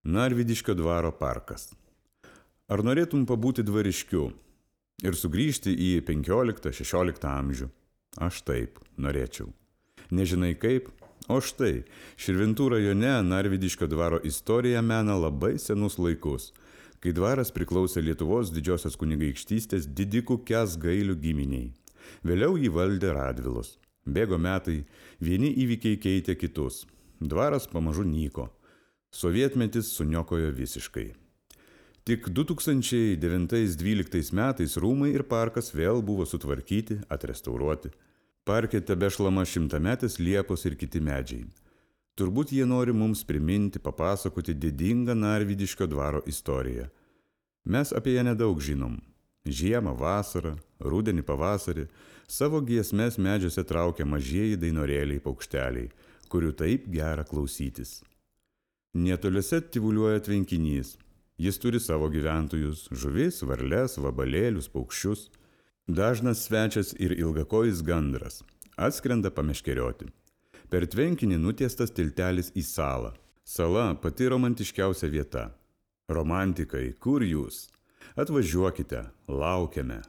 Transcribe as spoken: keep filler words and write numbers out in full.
Narvydiškio dvaro parkas. Ar norėtum pabūti dvariškiu ir sugrįžti į penkioliktą šešioliktą amžių? Aš taip norėčiau. Nežinai kaip? O štai, Širvintų rajone Narvydiškio dvaro istorija mena labai senus laikus, kai dvaras priklausė Lietuvos didžiosios kunigaikštystės didikų Kęsgailių giminiai. Vėliau jį valdė Radvilos. Bėgo metai, vieni įvykiai keitė kitus. Dvaras pamažu nyko. Sovietmetis suniokojo visiškai. Tik du tūkstančiai devintais dvyliktais metais rūmai ir parkas vėl buvo sutvarkyti, atrestauruoti. Parke tebešlama šimtametės liepos ir kiti medžiai. Turbūt jie nori mums priminti, papasakoti didingą Narvydiškio dvaro istoriją. Mes apie ją nedaug žinom. Žiemą, vasarą, rudenį, pavasarį savo giesmes medžiuose traukia mažieji dainorėliai paukšteliai, kurių taip gera klausytis. Netoliuose tyvuliuoja tvenkinys. Jis turi savo gyventojus – žuvis, varles, vabalėlius, paukščius. Dažnas svečias ir ilgakojis gandras. Atskrenda pameškerioti. Per tvenkinį nutiestas tiltelis į salą. Sala pati romantiškiausia vieta. Romantikai, kur jūs? Atvažiuokite, laukiame.